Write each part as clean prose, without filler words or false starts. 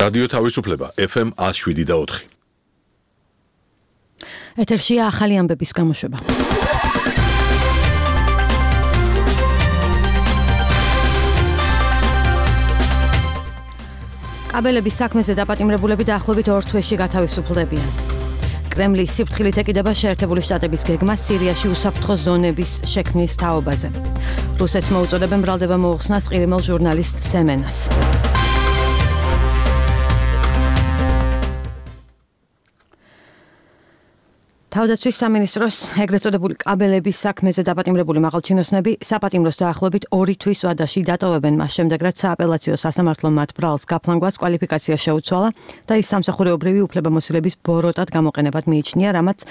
რადიო თავისუფლება FM 107.4. ეთერშია ახალი ამბების გამოშვება. კაბელების საქმეზე დაპატიმრებულები დაახლოებით 2 თვეში გათავისუფლდებიან. კრემლის სიფრთხილით ეკიდება შეერთებული შტატების გეგმა სირიაში უსაფრთხო ზონების შექმნის თაობაზე. რუსეთს მოუწოდებენ ბრალდება მოუხსნას ყირიმელ ჟურნალისტ სემენას. თავდაცვის სამინისტროს ეგრეთ წოდებული კაბელების საქმეზე დაპატიმრებული მაღალჩინოსნები საპატიმროს დაახლოებით 2 თვის ვადაში დატოვებენ მას შემდეგ, რაც სააპელაციო სასამართლომ მათ ბრალს გაფლანგვას კვალიფიკაცია შეუცვალა და ის სამსახურეობრივი უფლებამოსილების ბოროტად გამოყენებად მიიჩნია, რამაც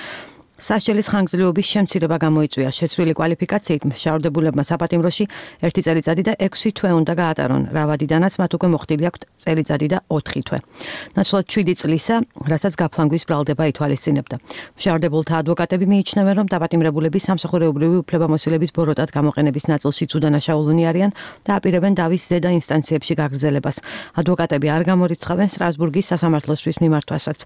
სასჯელის ხანგრძლივობის შემცირება გამოიწვია. შეცვლილი კვალიფიკაციით მშავრდებულებმა საპატიმროში 1 წელიწადი და 6 თვე უნდა გაატარონ. რავადიდანაც მათ უკვე მოხდილი აქვთ წელიწადი და 4 თვე. ნაცვლად 7 წლისა, რასაც გაფლანგვის ბრალდება ითვალისწინებდა. მშავრდებულთა ადვოკატები მიიჩნევენ, რომ დაპატიმრებულები სამსახურეობრივი უფლებამოსილების ბოროტად გამოყენების ნაწილშიც უდანაშაულნი არიან და აპირებენ დავის ზედა ინსტანციებში გაგრძელებას. ადვოკატები არ გამორიცხავენ სტრასბურგის სასამართლოსთვის მიმართვასაც.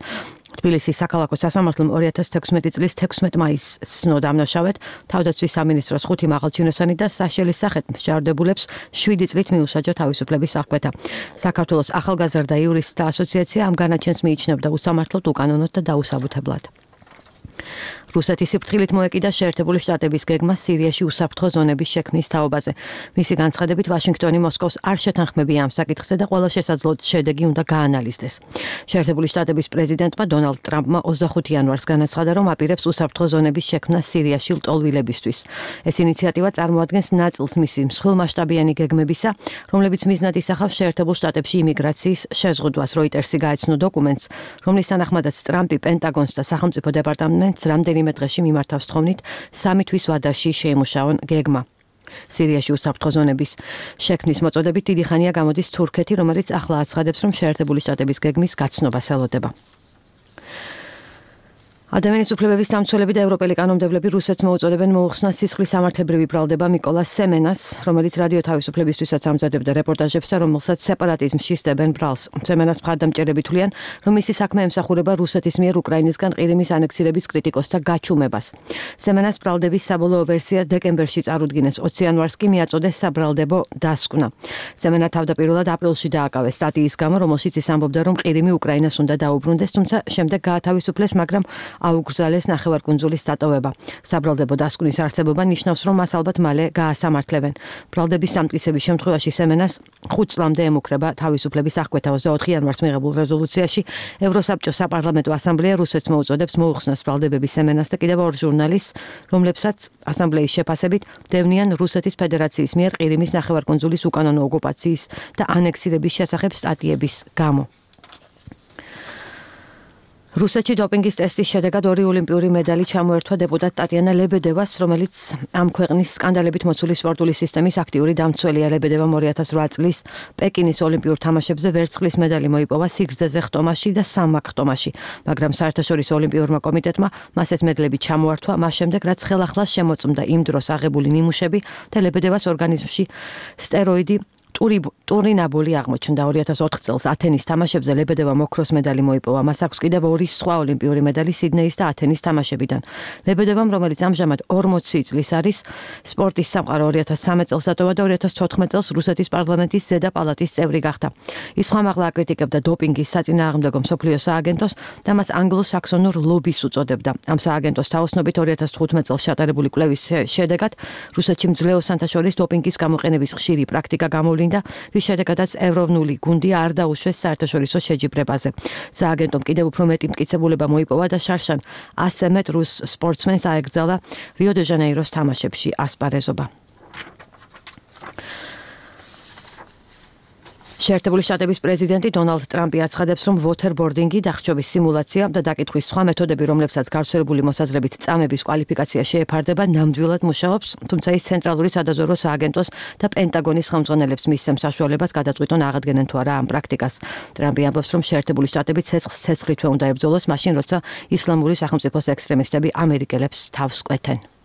თბილისის საქალაქო სასამართლომ 2016 წლის 16 მაისს ცნო დამნაშავედ თავდაცვის სამინისტროს 5 მაღალჩინოსანი და სასჯელის სახით მშავრდებულებს 7 წლით მიუსაჯა თავისუფლების აღკვეთა. საქართველოს ახალგაზრდა იურისტთა ასოციაცია ამ განაჩენს მიიჩნევდა უსამართლოდ, უკანონოდ და დაუსაბუთებლად. რუსეთის სიფრთხილით მოეკიდა შეერთებული შტატების გეგმა სირიაში უსაფრთხო ზონების შექმნის თაობაზე. მისი განცხადებით ვაშინგტონი მოსკოვს არ შეთანხმებია ამ საკითხზე და ყველა შესაძლო შედეგი უნდა გაანალიზდეს. შეერთებული შტატების პრეზიდენტმა დონალდ ტრამპმა 25 იანვარს განაცხადა, რომ აპირებს უსაფრთხო ზონების შექმნას სირიაში ლტოლვილებისთვის. ეს ინიციატივა წარმოადგენს ნაწილს მისი მსხვილმასშტაბიანი გეგმებისა, რომლებიც მიზნად ისახავს შეერთებულ შტატებში იმიგრაციის შეზღუდვას. როიტერსი გაეცნო დოკუმენტს, რომლის თანახმადაც ტრამპი პენტაგონს და სახელმწიფო დეპარტამენტს რამდენიმე დღეში მიმართავს თხოვნით 3 თვის ვადაში შეიმუშაონ გეგმა. სირიაში უსაფრთხო ზონების შექმნის მოწოდებით დიდი ხანია გამოდის თურქეთი, რომელიც ახლა აცხადებს, რომ შეერთებული შტატების გეგმის გაცნობას ელოდება. ადამიანის უფლებების დამცველები და ევროპელი კანონმდებლები რუსეთს მოუწოდებენ მოუხსნას სისხლის სამართლებრივი ბრალდება მიკოლას სემენას, რომელიც რადიო თავისუფლებისთვისაც ამზადებდა რეპორტაჟებს და რომელსაც სეპარატიზმში სდებენ ბრალს. სემენას მხარდამჭერები თვლიან, რომ მისი საქმე ემსახურება რუსეთის მიერ უკრაინისგან ყირიმის ანექსირების კრიტიკოსთა გაჩუმებას. სემენას ბრალდების საბოლოო ვერსია დეკემბერში წარუდგინეს, 20 იანვარს კი მიაწოდეს საბრალდებო დასკვნა. სემენა თავდაპირველად აპრილში დააკავეს სტატიის გამო, რომელშიც ის ამბობდა, რომ ყირიმი უკრაინას უნდა დაუბრუნდეს, თუმცა შემდეგ გაათავისუფლეს, მაგრამ აუგზალეს ნახევარკუნძულის დატოვება. საბრალდებო დასკვნის არსებობა ნიშნავს, რომ მას ალბათ მალე გაასამართლებენ. ბრალდების დამტკიცების შემთხვევაში სემენას 5 წლამდე ემუქრება თავისუფლების აღკვეთა. 24 იანვარს მიღებულ რეზოლუციაში ევროსაბჭოს საპარლამენტო ასამბლეა რუსეთს მოუწოდებს მოუხსნას ბრალდებების სემენას და კიდევ 2 ჟურნალისტს, რომლებსაც ასამბლეის შეფასებით დევნიან რუსეთის ფედერაციის მიერ ყირიმის ნახევარკუნძულის უკანონო ოკუპაციის და ანექსირების შესახებ სტატიების გამო. რუსეთში დოპინგის ტესტის შედეგად 2 ოლიმპიური მედალი ჩამოერთვა დეპუტატ ტატიანა ლებედევას, რომელიც ამ ქვეყნის სკანდალებით მოცული სპორტული სისტემის აქტიური დამცველია. ლებედევამ 2008 წლის პეკინის ოლიმპიურ თამაშებზე ვერცხლის მედალი მოიპოვა სიგრძეზე ხტომაში და სამმაგი ხტომაში, მაგრამ საერთაშორისო ოლიმპიურმა კომიტეტმა მას ეს მედლები ჩამოართვა, მას შემდეგ რაც ხელახლა შემოწმდა იმ დროს აღებული ნიმუშები და ლებედევას ორგანიზმში სტეროიდი ტურინაბოლი აღმოჩნდა. 2004 წელს ათენის თამაშებზე ლებედევამ ოქროს მედალი მოიპოვა. მას აქვს კიდევ 2 სხვა ოლიმპიური მედალი სიდნეის და ათენის თამაშებიდან. ლებედევამ, რომელიც ამჟამად 40 წლის არის, სპორტის სამყარო 2013 წელს დატოვა და 2014 წელს რუსეთის პარლამენტის ზედა პალატის წევრი გახდა. ის ხმამაღლა აკრიტიკებდა დოპინგის საწინააღმდეგო მსოფლიო სააგენტოს და მას ანგლო-საქსონურ ლობის უწოდებდა. ამ სააგენტოს თაოსნობით 2015 წელს ჩატარებული კვლევის შედეგად რუსეთში მძლეოსანთა შორის დოპინგის გამოყენების ხშირი პრაქტიკა გამოვლინდა, რის შედეგადაც ევროვნული გუნდი არ დაუშვეს საერთაშორისო შეჯიბრებაზე. სააგენტომ კიდევ უფრო მეტი მტკიცებულება მოიპოვა და შარშან 100 მეტ რუს სპორტსმენს აეკრძალა რიო-დე-ჟანეიროს თამაშებში ასპარეზობა. შეერთებული შტატების პრეზიდენტი დონალდ ტრამპი აცხადებს, რომ ვოთერბორდინგი, დახრჩობის სიმულაცია და დაკითხვის სხვა მეთოდები, რომლებსაც გავრცელებული მოსაზრებით წამების კვალიფიკაცია შეეფარდება, ნამდვილად მუშაობს, თუმცა ის ცენტრალური სადაზვერვო სააგენტოს და პენტაგონის ხელმძღვანელებს მისცემს საშუალებას გადაწყვიტონ აღადგენენ თუ არა ამ პრაქტიკას. ტრამპი ამბობს, რომ შეერთებული შტატები ცეცხლითვე უნდა ებრძოლოს, მაშინ როცა ისლამური სახელმწიფოს ექსტრემისტები ამერიკელებს თავს კვეთენ.